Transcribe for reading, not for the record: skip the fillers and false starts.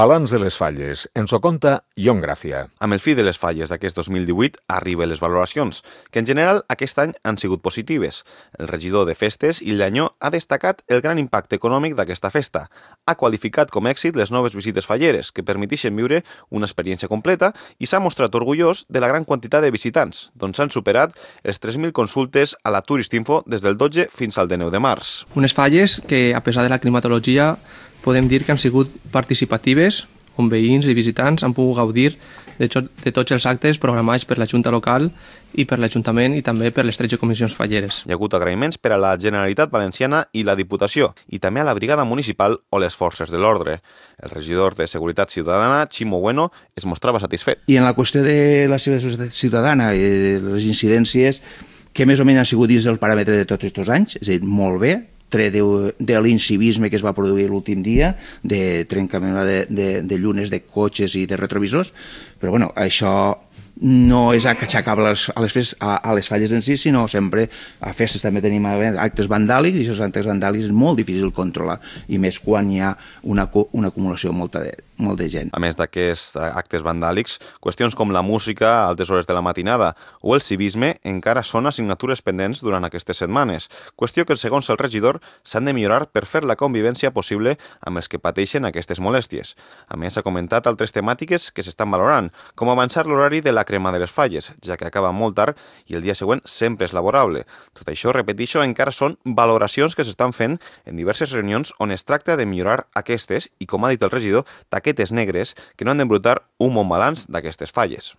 Balanç de les falles. Ens ho conta Ion Gràcia. Amb el fi de les falles d'aquest 2018 arriben les valoracions, que en general aquest any han sigut positives. El regidor de Festes, Illanyó, ha destacat el gran impacte econòmic d'aquesta festa. Ha qualificat com a èxit les noves visites falleres, que permetixen viure una experiència completa, i s'ha mostrat orgullós de la gran quantitat de visitants, doncs s'han superat les 3.000 consultes a la Turistinfo des del 12 fins al 19 de març. Unes falles que, a pesar de la climatologia, podem dir que han sigut participatives, on veïns i visitants han pogut gaudir de tots els actes programats per la Junta Local i per l'Ajuntament i també per les 13 comissions falleres. Hi ha hagut agraïments per a la Generalitat Valenciana i la Diputació, i també a la Brigada Municipal o les Forces de l'Ordre. El regidor de Seguretat Ciutadana, Ximo Bueno, es mostrava satisfet. I en la qüestió de la seguretat ciutadana i les incidències, que més o menys han sigut dins del paràmetre de tots aquests anys, és a dir, molt bé, tret de l'incivisme que es va produir l'últim dia, de trencament de llunes de cotxes i de retrovisors, però bueno, això no és aixecable a les falles en si, sinó sempre a festes també tenim actes vandàlics, i aquests actes vandàlics és molt difícil controlar, i més quan hi ha una acumulació molt de gent. A més d'aquests actes vandàlics, qüestions com la música a altes hores de la matinada o el civisme encara són assignatures pendents durant aquestes setmanes, qüestió que, segons el regidor, s'han de millorar per fer la convivència possible amb els que pateixen aquestes molèsties. A més, ha comentat altres temàtiques que s'estan valorant, com avançar l'horari de la crema de les falles, ja que acaba molt tard i el dia següent sempre és laborable. Tot això, repeteixo, encara són valoracions que s'estan fent en diverses reunions on es tracta de millorar aquestes i, com ha dit el regidor, taquetes negres que no han d'embrutar un bon balanç d'aquestes falles.